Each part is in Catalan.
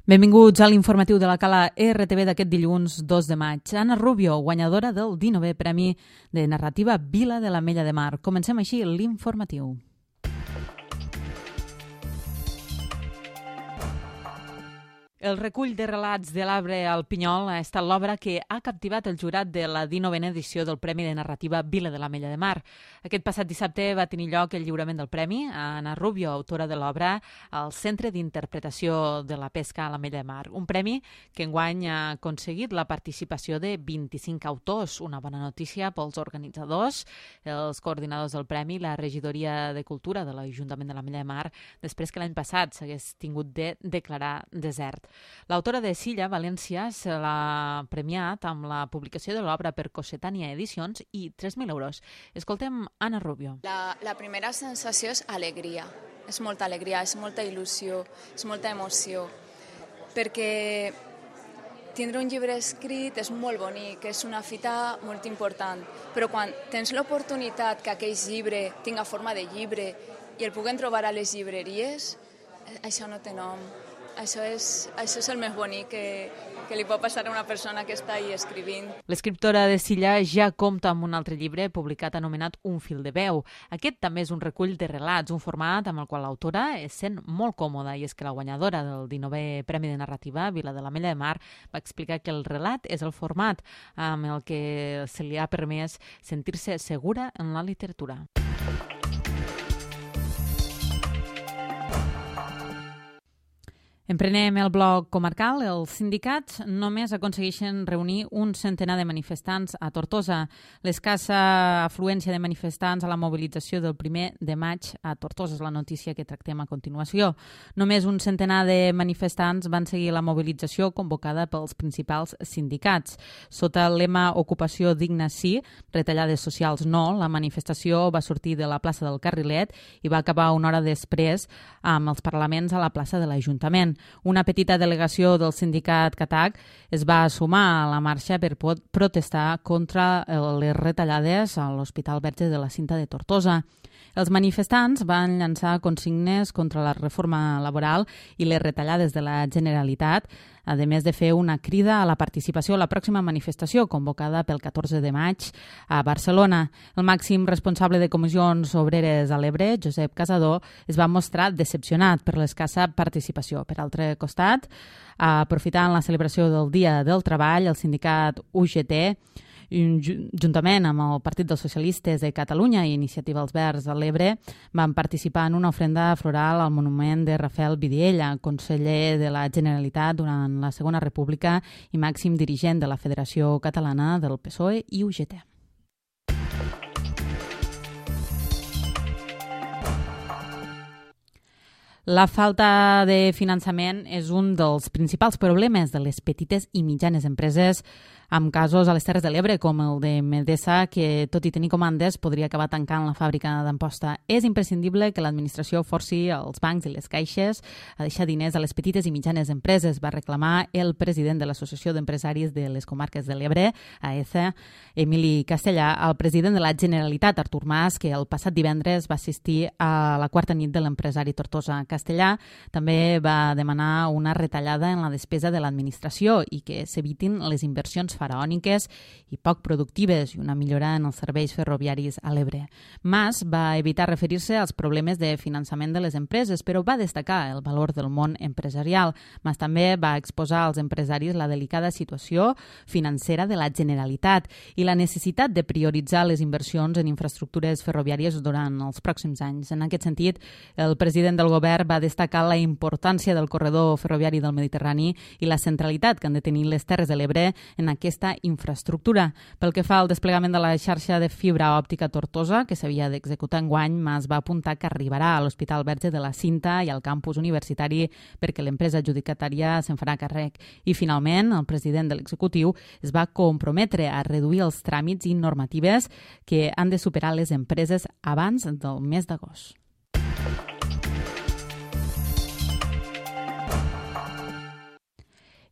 Benvinguts a l'informatiu de la Cala RTV d'aquest dilluns 2 de maig. Anna Rubio, guanyadora del 19è Premi de Narrativa Vila de l'Ametlla de Mar. Comencem així l'informatiu. El recull de relats de l'arbre al Pinyol ha estat l'obra que ha captivat el jurat de la 19a edició del Premi de Narrativa Vila de l'Ametlla de Mar. Aquest passat dissabte va tenir lloc el lliurament del premi a Anna Rubio, autora de l'obra, al Centre d'Interpretació de la Pesca a l'Ametlla de Mar. Un premi que enguany ha aconseguit la participació de 25 autors, una bona notícia pels organitzadors, els coordinadors del premi, la regidoria de Cultura de l'Ajuntament de l'Ametlla de Mar, després que l'any passat s'hagués tingut de declarar desert. L'autora de Silla, València, se l'ha premiat amb la publicació de l'obra per Cossetània Edicions i 3.000 euros. Escoltem Anna Rubio. La primera sensació és alegria. És molta alegria, és molta il·lusió, és molta emoció. Perquè tindre un llibre escrit és molt bonic, és una fita molt important. Però quan tens l'oportunitat que aquell llibre tinga forma de llibre i el puguem trobar a les llibreries, això no té nom. Això és el més bonic que li pot passar a una persona que està ahí escrivint. L'escriptora de Silla ja compta amb un altre llibre publicat anomenat Un fil de veu. Aquest també és un recull de relats, un format amb el qual l'autora es sent molt còmoda, i és que la guanyadora del 19è Premi de Narrativa Vila de l'Ametlla de Mar va explicar que el relat és el format amb el que se li ha permès sentir-se segura en la literatura. Emprenem el bloc comarcal. Els sindicats només aconsegueixen reunir un centenar de manifestants a Tortosa. L'escassa afluència de manifestants a la mobilització del 1 de maig a Tortosa és la notícia que tractem a continuació. Només un centenar de manifestants van seguir la mobilització convocada pels principals sindicats. Sota el lema Ocupació digna sí, retallades socials no, la manifestació va sortir de la plaça del Carrilet i va acabar una hora després amb els parlaments a la plaça de l'Ajuntament. Una petita delegació del sindicat CATAC es va sumar a la marxa per protestar contra les retallades a l'Hospital Verge de la Cinta de Tortosa. Els manifestants van llançar consignes contra la reforma laboral i les retallades de la Generalitat, a més de fer una crida a la participació a la pròxima manifestació convocada pel 14 de maig a Barcelona. El màxim responsable de Comissions Obreres a l'Ebre, Josep Casador, es va mostrar decepcionat per l'escassa participació. Per altre costat, aprofitant la celebració del Dia del Treball, el sindicat UGT, juntament amb el Partit dels Socialistes de Catalunya i Iniciativa Els Verds a l'Ebre, van participar en una ofrenda floral al monument de Rafael Vidiella, conseller de la Generalitat durant la Segona República i màxim dirigent de la Federació Catalana del PSOE i UGT. La falta de finançament és un dels principals problemes de les petites i mitjanes empreses, amb casos a les Terres de l'Ebre, com el de Medesa, que, tot i tenir comandes, podria acabar tancant la fàbrica d'Amposta. És imprescindible que l'administració forci els bancs i les caixes a deixar diners a les petites i mitjanes empreses, va reclamar el president de l'Associació d'Empresaris de les Comarques de l'Ebre, AECA, Emili Castellà, al president de la Generalitat, Artur Mas, que el passat divendres va assistir a la quarta nit de l'empresari Tortosa. Castellà també va demanar una retallada en la despesa de l'administració i que s'evitin les inversions faraòniques i poc productives i una millora en els serveis ferroviaris a l'Ebre. Mas va evitar referir-se als problemes de finançament de les empreses, però va destacar el valor del món empresarial. Mas també va exposar als empresaris la delicada situació financera de la Generalitat i la necessitat de prioritzar les inversions en infraestructures ferroviàries durant els pròxims anys. En aquest sentit, el president del govern va destacar la importància del corredor ferroviari del Mediterrani i la centralitat que han de tenir les Terres de l'Ebre en aquesta infraestructura. Pel que fa al desplegament de la xarxa de fibra òptica Tortosa, que s'havia d'executar enguany, Mas va apuntar que arribarà a l'Hospital Verge de la Cinta i al campus universitari perquè l'empresa adjudicatària se'n farà càrrec. I finalment, el president de l'executiu es va comprometre a reduir els tràmits i normatives que han de superar les empreses abans del mes d'agost.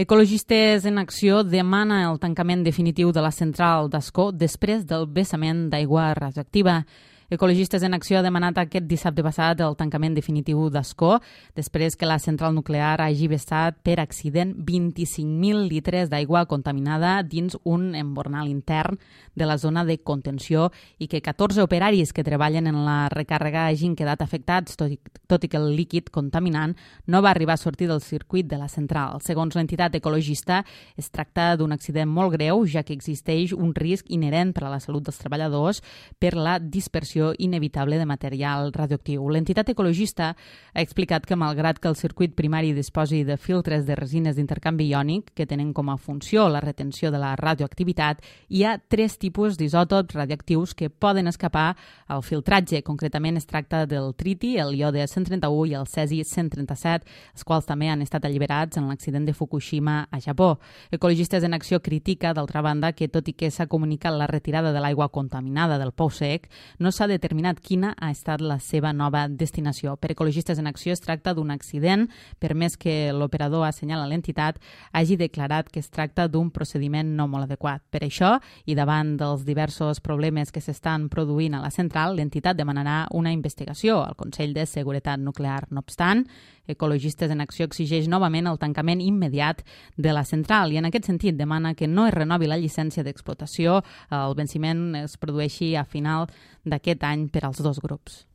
Ecologistes en Acció demana el tancament definitiu de la central d'Ascó després del vessament d'aigua radioactiva. Ecologistes en Acció ha demanat aquest dissabte passat el tancament definitiu d'Ascó, després que la central nuclear hagi vessat per accident 25.000 litres d'aigua contaminada dins un embornal intern de la zona de contenció i que 14 operaris que treballen en la recàrrega hagin quedat afectats, tot i que el líquid contaminant no va arribar a sortir del circuit de la central. Segons l'entitat ecologista, es tracta d'un accident molt greu, ja que existeix un risc inherent per a la salut dels treballadors per la dispersió inevitable de material radioactiu. L'entitat ecologista ha explicat que malgrat que el circuit primari disposi de filtres de resines d'intercanvi iònic que tenen com a funció la retenció de la radioactivitat, hi ha 3 tipus d'isòtops radioactius que poden escapar al filtratge. Concretament es tracta del triti, el iode 131 i el cesi 137, els quals també han estat alliberats en l'accident de Fukushima a Japó. Ecologistes en Acció critica, d'altra banda, que tot i que s'ha comunicat la retirada de l'aigua contaminada del pou sec, no s'ha determinat quina ha estat la seva nova destinació. Per Ecologistes en Acció es tracta d'un accident, per més que l'operador assenyala l'entitat hagi declarat que es tracta d'un procediment no molt adequat. Per això, i davant dels diversos problemes que s'estan produint a la central, l'entitat demanarà una investigació al Consell de Seguretat Nuclear. No obstant, Ecologistes en Acció exigeix novament el tancament immediat de la central i en aquest sentit demana que no es renovi la llicència d'explotació. El venciment es produeixi a final d'aquest any per als 2 grups.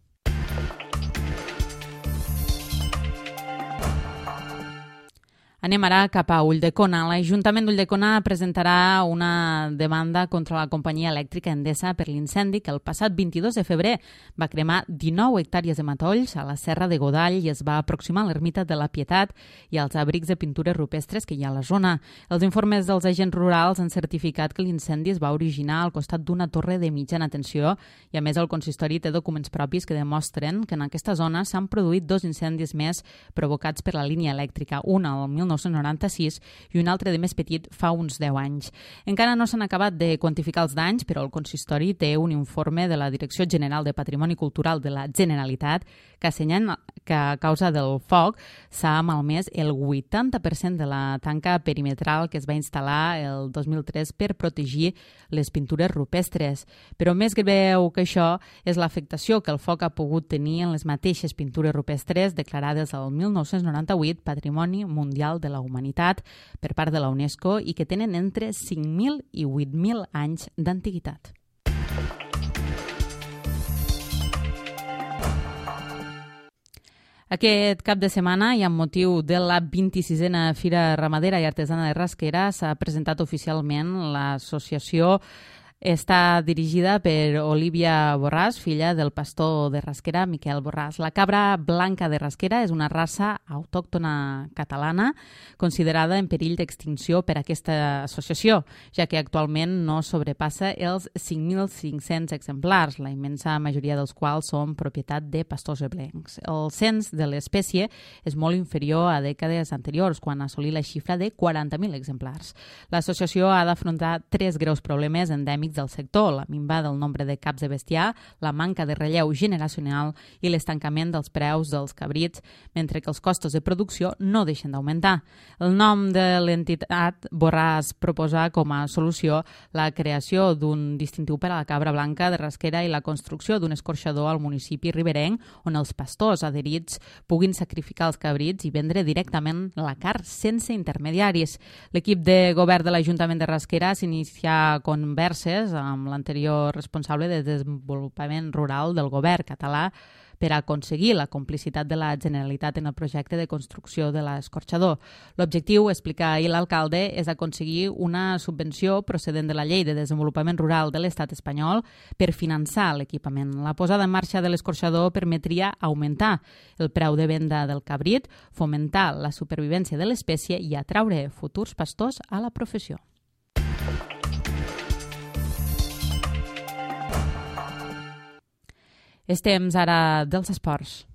Anem ara cap a Ulldecona. L'Ajuntament d'Ulldecona presentarà una demanda contra la companyia elèctrica Endesa per l'incendi que el passat 22 de febrer va cremar 19 hectàrees de matolls a la Serra de Godall i es va aproximar a l'Ermita de la Pietat i als abrics de pintures rupestres que hi ha a la zona. Els informes dels agents rurals han certificat que l'incendi es va originar al costat d'una torre de mitjana tensió i, a més, el consistori té documents propis que demostren que en aquesta zona s'han produït 2 incendis més provocats per la línia elèctrica, un al 1996 i un altre de més petit fa uns 10 anys. Encara no s'han acabat de quantificar els danys, però el consistori té un informe de la Direcció General de Patrimoni Cultural de la Generalitat que assenyala que a causa del foc s'ha malmès el 80% de la tanca perimetral que es va instal·lar el 2003 per protegir les pintures rupestres. Però més greu que això és l'afectació que el foc ha pogut tenir en les mateixes pintures rupestres declarades el 1998 Patrimoni Mundial de la Humanitat per part de la UNESCO i que tenen entre 5.000 i 8.000 anys d'antiguitat. Aquest cap de setmana i amb motiu de la 26a Fira Ramadera i Artesana de Rasquera s'ha presentat oficialment l'associació. Està dirigida per Olivia Borràs, filla del pastor de Rasquera, Miquel Borràs. La cabra blanca de Rasquera és una raça autòctona catalana considerada en perill d'extinció per aquesta associació, ja que actualment no sobrepassa els 5.500 exemplars, la immensa majoria dels quals són propietat de pastors eblencs. El cens de l'espècie és molt inferior a dècades anteriors, quan assolí la xifra de 40.000 exemplars. L'associació ha d'afrontar 3 greus problemes endèmics del sector: la minva del nombre de caps de bestiar, la manca de relleu generacional i l'estancament dels preus dels cabrits, mentre que els costos de producció no deixen d'augmentar. El nom de l'entitat Borràs proposa com a solució la creació d'un distintiu per a la cabra blanca de Rasquera i la construcció d'un escorxador al municipi riberenc on els pastors adherits puguin sacrificar els cabrits i vendre directament la carn sense intermediaris. L'equip de govern de l'Ajuntament de Rasquera s'inicia converses amb l'anterior responsable de desenvolupament rural del govern català per aconseguir la complicitat de la Generalitat en el projecte de construcció de l'escorxador. L'objectiu, explica ahir l'alcalde, és aconseguir una subvenció procedent de la Llei de Desenvolupament Rural de l'Estat espanyol per finançar l'equipament. La posada en marxa de l'escorxador permetria augmentar el preu de venda del cabrit, fomentar la supervivència de l'espècie i atraure futurs pastors a la professió. És temps ara dels esports.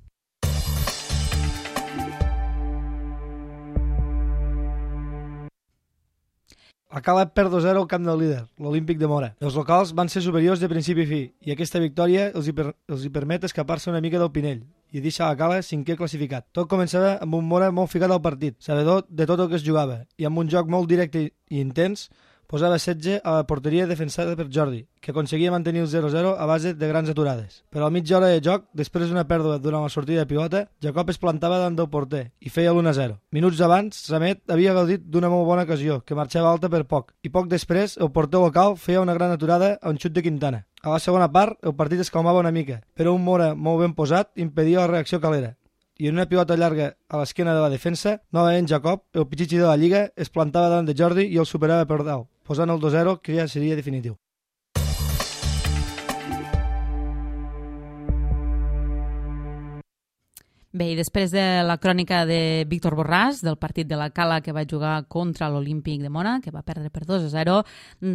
A Caleb perd 2-0 al camp del líder, l'Olímpic de Mora. Els locals van ser superiors de principi a fi i aquesta victòria els hi permet escapar-se una mica del Pinell i deixar a Caleb 5è classificat. Tot començava amb un Mora molt ficat al partit, sabedor de tot el que es jugava i amb un joc molt directe i intens, posava setge a la porteria defensada per Jordi, que aconseguia mantenir el 0-0 a base de grans aturades. Però a mitja hora de joc, després d'una pèrdua durant la sortida de pilota, Jacob es plantava davant del porter i feia l'1-0. Minuts abans, Samet havia gaudit d'una molt bona ocasió, que marxava alta per poc, i poc després el porter local feia una gran aturada a un xut de Quintana. A la segona part, el partit es calmava una mica, però un Mora molt ben posat impedia la reacció calera. I en una pilota llarga a l'esquena de la defensa, novament Jacob, el pitxitxi de la Lliga, es plantava davant de Jordi i el superava per dalt, posant el 2-0 que ja seria definitiu. Bé, i després de la crònica de Víctor Borràs, del partit de la Cala que va jugar contra l'Olímpic de Mora, que va perdre per 2-0,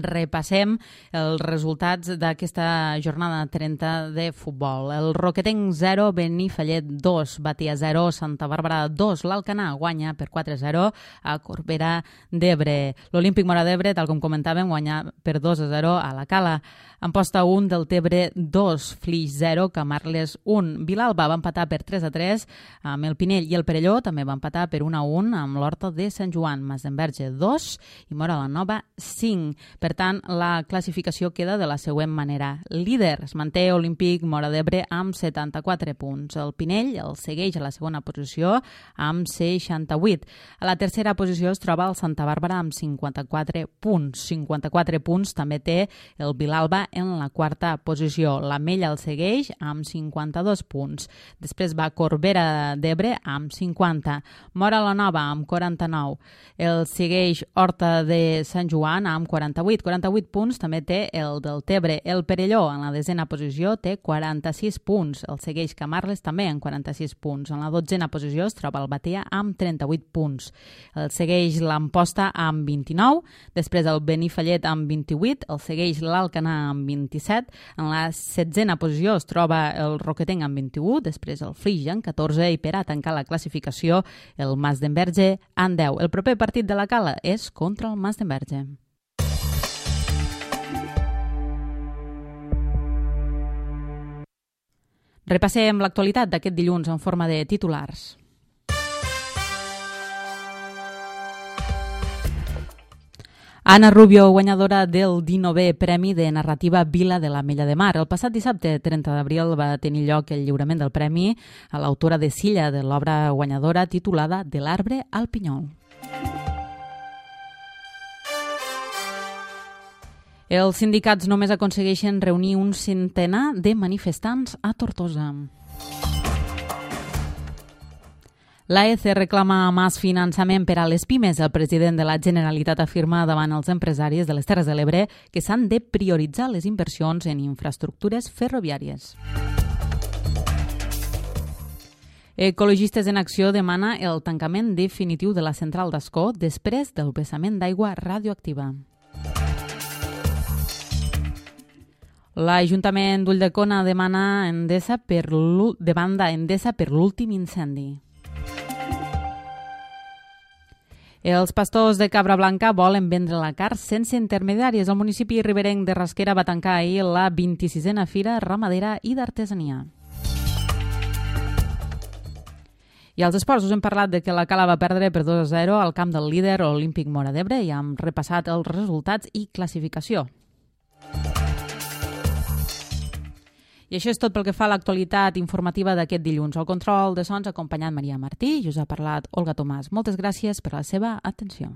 repassem els resultats d'aquesta jornada 30 de futbol. El Roquetenc 0, Benifallet 2, Batia 0, Santa Bàrbara 2, l'Alcanar guanya per 4-0 a Corbera d'Ebre. L'Olímpic Mora d'Ebre, tal com comentàvem, guanya per 2-0 a la Cala. Amposta 1, del Tebre 2, Flix 0, Camarles 1. Vilalba va empatar per 3-3 amb el Pinell i el Perelló també va empatar per 1-1 amb l'Horta de Sant Joan. Masdenverge 2 i Móra la Nova 5. Per tant, la classificació queda de la següent manera. Líder es manté Olímpic Mora d'Ebre amb 74 punts. El Pinell el segueix a la segona posició amb 68. A la tercera posició es troba el Santa Bàrbara amb 54 punts. 54 punts també té el Vilalba en la quarta posició. l'Ametlla el segueix amb 52 punts. Després va Corbera d'Ebre amb 50. Móra la Nova amb 49. El segueix Horta de Sant Joan amb 48. 48 punts també té el del Tebre. El Perelló en la desena posició té 46 punts. El segueix Camarles també amb 46 punts. En la dotzena posició es troba el Batea amb 38 punts. El segueix l'Amposta amb 29. Després el Benifallet amb 28. El segueix l'Alcanar amb 27. En la setzena posició es troba el Roquetenc amb 21. Després el Flix amb 14 i per a tancar la classificació el Masdenverge amb 10. El proper partit de la Cala és contra el Masdenverge. Repassem l'actualitat d'aquest dilluns en forma de titulars. Anna Rubio, guanyadora del 19è Premi de Narrativa Vila de l'Ametlla de Mar. El passat dissabte, 30 d'abril, va tenir lloc el lliurament del premi a l'autora de Silla de l'obra guanyadora titulada De l'arbre al pinyol. Els sindicats només aconsegueixen reunir un centenar de manifestants a Tortosa. L'AEC reclama més finançament per a les pimes. El president de la Generalitat afirma davant els empresaris de les Terres de l'Ebre que s'han de prioritzar les inversions en infraestructures ferroviàries. Ecologistes en Acció demana el tancament definitiu de la central d'Ascó després del vessament d'aigua radioactiva. L'Ajuntament d'Ulldecona demana Endesa per l'últim incendi. Els pastors de Cabra Blanca volen vendre la carn sense intermediaris. El municipi riberenc de Rasquera va tancar ahir la 26a Fira Ramadera i d'Artesania. I als esports us hem parlat de que la Cala va perdre per 2-0 al camp del líder Olímpic Mora d'Ebre i hem repassat els resultats i classificació. I això és tot pel que fa a l'actualitat informativa d'aquest dilluns. Al control de sons ha acompanyat Maria Martí i us ha parlat Olga Tomàs. Moltes gràcies per la seva atenció.